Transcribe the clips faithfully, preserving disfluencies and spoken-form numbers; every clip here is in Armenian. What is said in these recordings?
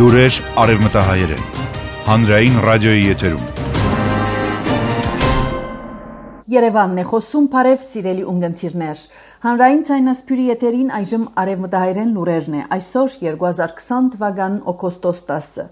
Լուրեր արևմտահայերեն։ Հանրային ռադիոյի եթերում։ Երևանն է խոսում, բարև սիրելի ունգընտիրներ։ Հանրային ցայնասպյուրի եթերին այժմ արևմտահայերեն լուրերն է։ Այսօր երկու հազար քսան թվական օգոստոս տասը։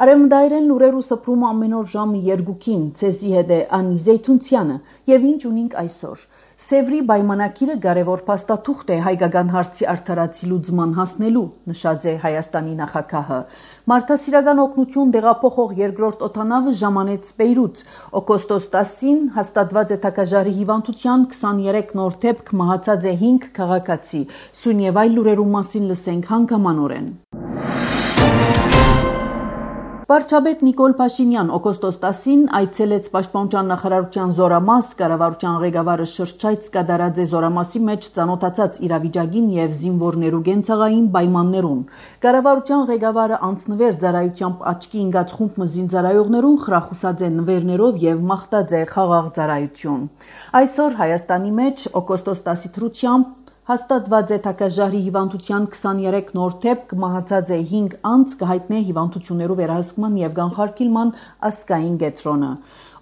Արևմտահայերեն լուրերու սփռումը ամեն օր ժամը երկուքին, ցեզի հետ է Անի Զեյթունցյանը, եւ ինչ ունենք այսօր։ Սևրի պայմանակիրը կարևոր փաստաթուղթ է հայկական հարցի արդարացի լուծման հասնելու, նշած է Հայաստանի նախագահը։ Մարդասիրական օգնություն տեղափոխող երկրորդ օդանավը ժամանեց Բեյրութ։ Օգոստոս տասին հաստատված է թագաժարի հիվանդության քսաներեք նոր դեպք, մահացած է հինգ քաղաքացի։ Սույն եւ այլ լուրերու մասին լսենք հանգամանորեն։ Վարչապետ Նիկոլ Փաշինյան օգոստոս տասին այցելեց Պաշտպանության նախարարության Զորամաս, կառավարության ղեկավարը շրջայց կատարած է Զորամասի մեջ ծանոթացած իրավիճակին եւ զինվորներու գենցաղային պայմաններուն։ Կառավարության ղեկավարը անցնվեր ծառայությամբ աչքի ընկած խումբ զինծառայողներուն խրախուսած է նվերներով եւ մաղթած է խաղաղ ծառայություն։ Այսօր Հայաստանի մեջ օգոստոս տասի թրությամբ հաստատված է թագաժարի հիվանդության քսաներեք նոր դեպք, մահացած է հինգ անձ, կհայտնե հիվանդություններու վերահսկման եւ կանխարգելման ազգային կենտրոնը։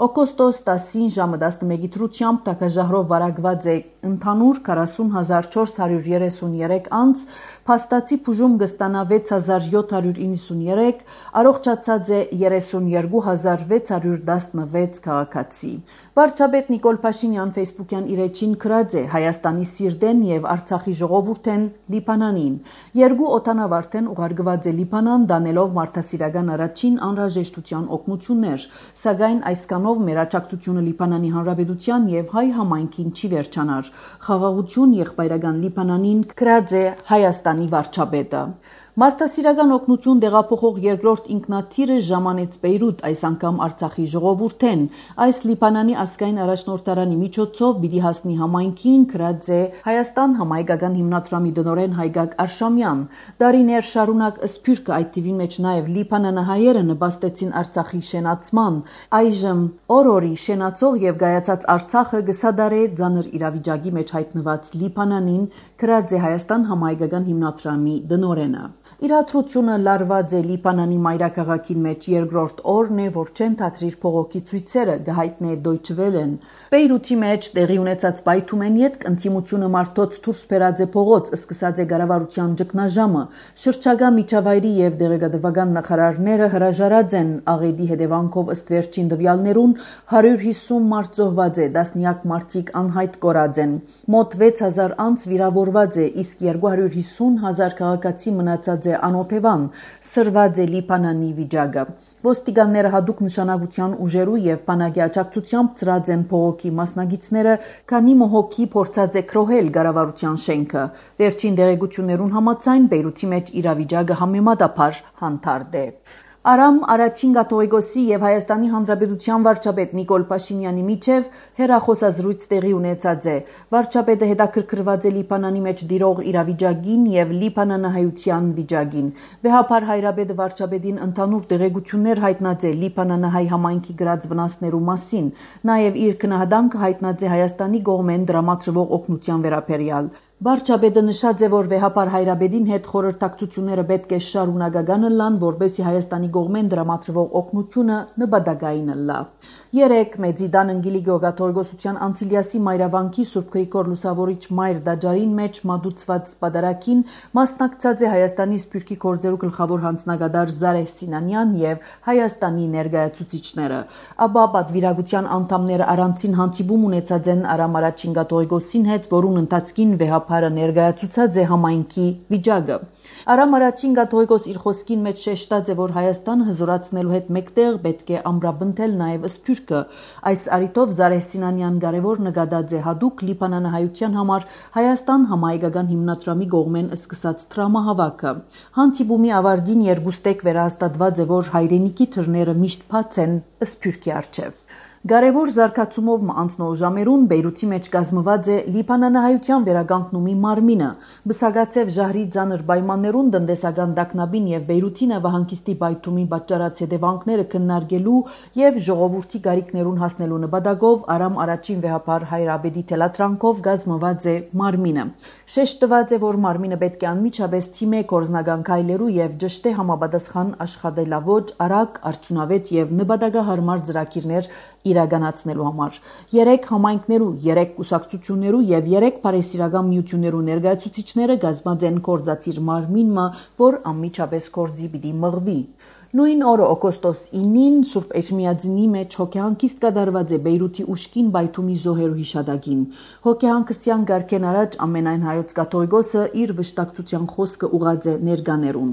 Օգոստոս տասին ժամը տասնմեկի թրությամբ թագաժահրով վարակված է ընդհանուր քառասուն հազար չորս հարյուր երեսունյերեք անձ, փաստացի բուժում կստանա վեց հազար յոթ հարյուր իննսունյերեք, առողջացած է երեսունյերկու հազար վեց հարյուր տասնվեց քաղաքացի։ Վարչապետ Նիկոլ Փաշինյան Facebook-յան իր էջին գրած է Հայաստանի սիրտեն եւ Արցախի ժողովուրդեն Լիբանանին։ Երկու օդանավ արդեն ուղարկված է Լիբանան, դանելով մարդասիրական առաջին անհրաժեշտության օգնություններ, սակայն այսքանով մեր աջակցությունը Լիբանանի Հանրապետության եւ հայ համայնքին չի վերջանար։ Խաղաղություն եղբայրական Լիբանանին գրած է Հայաստանի վարչապետը։ Մարդասիրական օգնություն տեղափոխող երկրորդ ինքնաթիռը ժամանեց Բեյրութ, այս անգամ Արցախի ժողովուրդեն։ Այս Լիբանանի ազգային առաջնորդարանի միջոցով պիտի հասնի համայնքին, գրած է Հայաստան համայնքական հիմնադրամի տնօրեն Հայգակ Արշամյան։ Դարիներ շարունակ Սփյուռքը, այդ թիվի մեջ նաև լիբանանահայերը նպաստեցին Արցախի շենացման։ Այժմ օր-օրի շենացող եւ գայացած Արցախը գսադարե ծանր իրավիճակի մեջ հայտնված Լիբանանին, գրած է Հայաստան համայնքական հիմնադրամի տնօրենը։ Իրադրությունը լարված է Լիբանանի մայրաքաղաքին մեջ երկրորդ օրն է, որ չեն թատրիր փողոքի ցույցերը, գահիտնե Deutsche Welle-ն։ Բեյրութի մեջ տեղի ունեցած պայթումեն յետք ընդդիմությունը մարդոց դուրս բերած է փողոց, սկսած է կառավարության ճգնաժամը։ Շրջակա միջավայրի եւ դեղեկատվական նախարարները հրաժարած են աղետի հետևանքով ըստ վերջին տվյալներուն հարյուր հիսուն մարդ զոհված է, տասնյակ մարդիկ անհայտ կորած են։ Մոտ վեց հազար անձ վիրավորված է, իսկ երկու հարյուր հիսուն հազար քաղաքացի մնացած է անօթևան, սրված է Լիբանանի վիճակը։ Ոստիկանները հadoop նշանակության ուժերու եւ բանակի աջակցությամբ ծրած են փողոքի մասնագետները, քանի մոհոքի փորձած է քրոհել կառավարության շենքը։ Վերջին դեղեցություններուն համաձայն Բեյրութի մեջ իրավիճակը համեմատաբար հանդարտ է։ Արամ առաջին կաթողիկոսի եւ Հայաստանի Հանրապետության վարչապետ Նիկոլ Փաշինյանի միջև հերախոսազրույց տեղի ունեցած է։ Վարչապետը հետաքրքրված է Լիբանանի մեջ դիրող իրավիճակին եւ լիբանանահայության վիճակին։ Վեհապար Հայրապետը վարչապետին ընդհանուր տեղեկություններ հայտնած է լիբանանահայ համայնքի գրած վնասներու մասին, նաեւ իր քնահանդանքը հայտնած է Հայաստանի կողմեն դրամատրվող օգնության վերաբերյալ։ Վարչապետը նշած է, որ Վեհապար Հայրապետին հետ խորհրդակցությունները պետք է շարունակական լան, որբեսի Հայաստանի կողմեն դրամատրվող օգնությունը նպատակային լա։ Երեք Մեծիդան Անգելիկո կաթողիկոսության Անտիլիասի մայրավանքի Սուրբ Գրիգոր Լուսավորիչ մայր դաջարին մեջ մատուցված պատարագին մասնակցած է Հայաստանի Սփյուռքի գործերու գլխավոր հանձնագետար Զարեհ Սինանյան եւ Հայաստանի ներկայացուցիչները։ Ապա պատվիրակության անդամները առանցին հանդիպում ունեցած են Արամ առաջին կաթողիկոսին հետ, որուն ընթացքին Վեհապարը ներկայացուցած է համայնքի վիճակը։ Արամ առաջին կաթողիկոս իր խոսքին մեջ շեշտած է, որ Հայաստանը հզորացնելու հետ մեկտեղ պետք է ամրապնդել նաև Սփյուռքը։ Այս առիթով Զարեհ Սինանյան կարևոր նկատած է հadoop լիբանանահայության համար Հայաստան համայնքական հիմնադրամի կողմեն սկսած տրամահավաքը։ Հանդիպումի ավարտին երկուստեք վերահաստատված է, որ հայրենիքի թռները միշտ բաց են Սփյուռքի առջև։ Կարևոր զարգացումով անցնող ժամերուն Բեյրութի մեջ կազմված է լիբանանահայության վերագանքնումի մարմինը։ Բսագացև ժահրի ծանր պայմաններուն տնտեսական տագնապին եւ Բեյրութի նավահանգիստի բայթումի պատճառած հետևանքները քննարկելու եւ ժողովրդի գարիքներուն հասնելու նպատակով Արամ առաջին վեհապար Հայրաբեդի թելատրանքով կազմված է մարմինը։ Շեշտված է, որ մարմինը պետք է անմիջապես թիմե կորզնական քայլերու եւ ճշտե համապատասխան աշխատելավոճ, արագ, արդյունավետ եւ նպատակահարմար ծրագիրներ իրականացնելու համար։ Երեք համայնքներու, երեք կուսակցություններու եւ երեք բարեսիրական միություններու ներկայացուցիչները կազմած են կորզածիր մարմինը, որ անմիջապես կորզի պիտի մղվի։ Նույն օրը օգոստոս ինին Սուրբ Էջմիածնի մեջ հոգեհանգիստ կատարված է Բեյրութի ուշքին բայթումի զոհերու հիշադակին։ Հոգեհանգստյան գարքեն առաջ ամենայն հայոց կաթողիկոսը իր վշտակցության խոսքը ուղղած է ներկաներուն։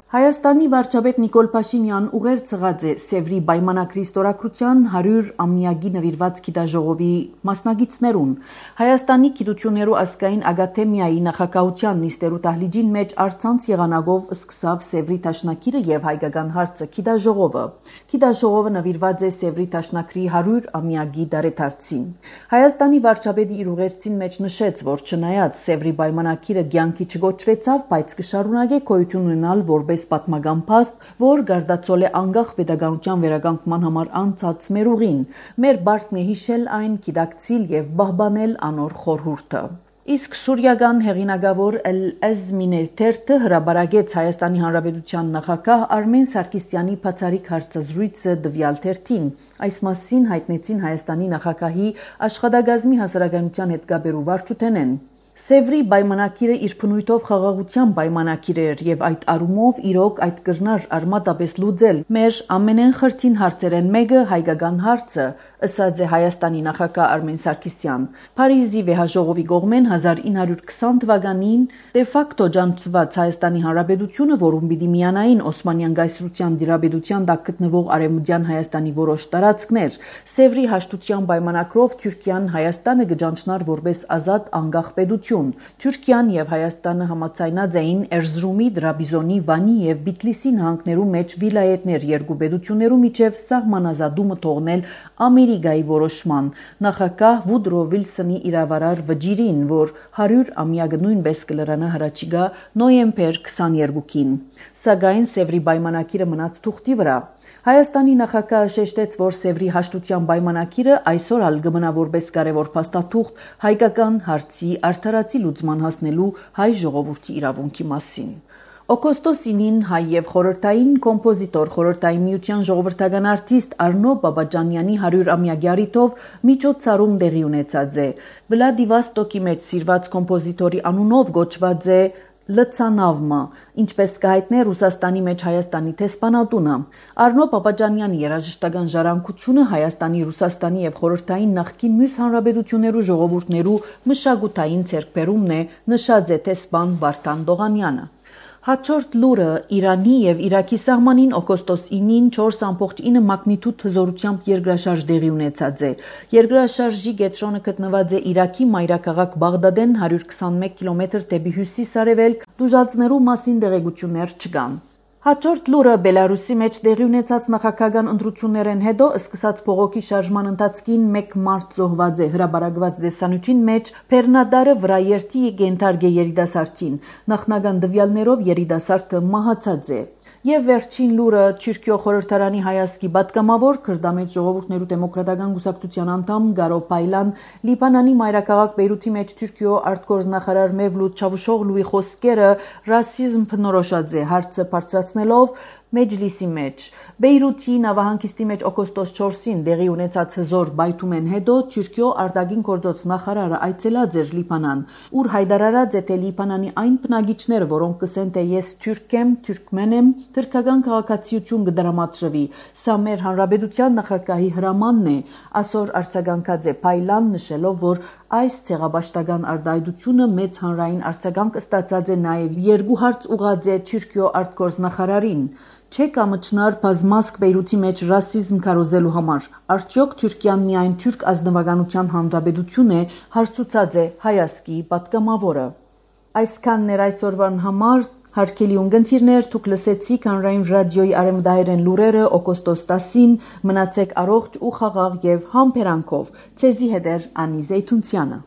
Հայաստանի վարչապետ Նիկոլ Փաշինյան ուղեր ցղած է Սևրի պայմանագրի ստորագրության հարյուր ամյակի նվիրված գիտաժողովի մասնագետներուն։ Հայաստանի գիտություններու ազգային ակադեմիայի նախագահության նիստերու դահլիճին մեջ արցանց եղանակով սկսավ Սևրի դաշնակիրը եւ հայկական հարցը գիտաժողովը։ Գիտաժողովը նվիրված է Սևրի դաշնակրի հարյուր ամյակի դարեդարձին։ Հայաստանի վարչապետի իր ուղերձին մեջ նշեց, որ չնայած Սևրի պայմանագիրը կյանքի չգոչվեցավ, բայց կշարունակե գոյություն ունենալ որպես պատմական փաստ, որ գարդացել է անկախ պետականության վերականգնման համար անցած մեր ուղին։ Մեր բարդն է հիշել այն, գիտակցիլ եւ պահպանել անոր խորհուրդը։ Իսկ սուրիական հեղինակավոր Էլ-Էզմինե թերթը հրաբարակեց Հայաստանի Հանրապետության նախագահ Արմեն Սարգսյանի բացառիկ հարցազրույցը տվյալ թերթին։ Այս մասին հայտնեցին Հայաստանի նախագահի աշխատակազմի հասարակայնության հետ կապերու վարչութենեն։ Սևրի պայմանագիրը իր բնույթով խաղաղության պայմանագիր էր եւ այդ առումով իրոք այդ կրնար արմատապես լուծել մեր ամենեն խրթին հարցերեն մեկը հայկական հարցը, ըսած է Հայաստանի նախագահ Արմեն Սարգսյան։ Փարիզի վեհաժողովի կողմեն հազար ինը հարյուր քսան թվականին դե ֆակտո ջանցված Հայաստանի Հանրապետությունը, որում պիտի միանային Օսմանյան գայսրության դիրապետության տակ գտնվող Արևմտյան Հայաստանի որոշ տարածքներ, Սևրի հաշտության պայմանագրով Թուրքիան Հայաստանը կջանչնար որպես ազատ անկախ պետություն։ Թուրքիան եւ Հայաստանը համաձայնած էին Էրզրումի, Դրաբիզոնի, Վանի եւ Բիթլիսի նահանգներու մեջ վիլայեթներ երկու պետություններու միջև սահմանազատումը թողնել Ամերիկայի որոշման նախագահ Վուդրո Վիլսոնի իրավարար վճիրին, որ հարյուր ամյակը նույնպես կլրանա հրաչիգա նոյեմբեր քսաներկուին։ Սակայն Սևրի պայմանագիրը մնաց թուղթի վրա։ Հայաստանի նախագահը շեշտեց, որ Սևրի հաշտության պայմանագիրը այսօր ալ կմնա որպես կարևոր փաստաթուղթ հայկական հարցի արդարացի լուծման հասնելու հայ ժողովրդի իրավունքի մասին։ Օգոստոս ինին հայ եւ խորհրդային կոմպոզիտոր խորհրդային միության ժողովրդական արտիստ Արնո Բաբաջանյանի հարյուր ամյակի առիթով միջոցառում տեղի ունեցած է։ Վլադիվաստոկի մեջ սիրված կոմպոզիտորի անունով գոչված է Լցանավմը, ինչպես կհայտնե Ռուսաստանի մեջ Հայաստանի տեսփանատունը։ Արնո Պապաջանյանի երաժշտական ժառանգությունը Հայաստանի, Ռուսաստանի եւ խորհրդային նախկին մյուս հանրապետություններու ժողովուրդներու մշակութային ձեռքբերումն է, նշած է տեսփան Վարդան Դողանյանը։ Հաջորդ լուրը Իրանի եւ Իրաքի սահմանին օգոստոս ինին չորս ամբողջ ինը մագնիտուդ հզորությամբ երկրաշարժ տեղի ունեցած է։ Երկրաշարժի կենտրոնը գտնված է Իրաքի մայրաքաղաք Բաղդադեն հարյուր քսանմեկ կիլոմետր դեպի հյուսիս-արևելք, դժուժացնելու մասին տեղեկություններ չկան։ Հաջորդ լուրը Բելարուսի մեջ տեղի ունեցած նախագահական ընտրություններեն հետո սկսած փողոքի շարժման ընթացքին մեկ մարդ զոհված է հրաբարակված դեսանյութին մեջ Փեռնադարը վրա երթի գենթարգե երիտասարդին նախնական դվյալներով երիտասարդը մահացած է։ Եվ վերջին լուրը Թուրքիո խորհրդարանի հայազգի պատգամավոր Քրդամետ ժողովուրդներու դեմոկրատական կուսակցության անդամ Գարո Պայլան Լիբանանի մայրաքաղաք Բեյրութի մեջ Թուրքիո արտգործնախարար Մևլութ Չավուշօղլուի խոսքերը ռասիզմ բնորոշած է հարցը բարձրացնելով Մեջլիսի մեջ։ Բեյրութի նավահանգիստի մեջ օգոստոս չորսին տեղի ունեցած հզոր բայթումեն հետո Թուրքիո արտագին գործոց նախարարը այցելած էր Լիբանան, ուր հայտարարած է թե Լիբանանի այն բնակիչները, որոնք կսեն թե ես թուրք եմ, թուրքմեն եմ, թուրքական քաղաքացիություն կդրամատրվի։ Սա մեր հանրապետության նախագահի հրամանն է, այսօր արձագանքած է Պայլան, նշելով, որ այս ցեղաբաշտական արտահայտությունը մեծ հանրային արձագանք ստացած է նաև երկու հարց ուղղած է Թուրքիո արտգործնախարարին։ Չէ՞ կամճնար բազմազգ Բեյրութի մեջ ռասիզմ քարոզելու համար։ Արդյոք Թուրքիան միայն թուրք ազնվականության հանրապետություն է, հարցուցած է հայազգի պատգամավորը։ Այսքանն էր այսօրվան համար։ Հարկելի ունգընթիրներ, թուք լսեցիք հանրային ռադիոյի արևմտահայերեն լուրերը օգոստոս տասին, մնացեք առողջ ու խաղաղ եւ համբերանքով։ Ցեզի հետ էր Անի Զեյթունցյանը։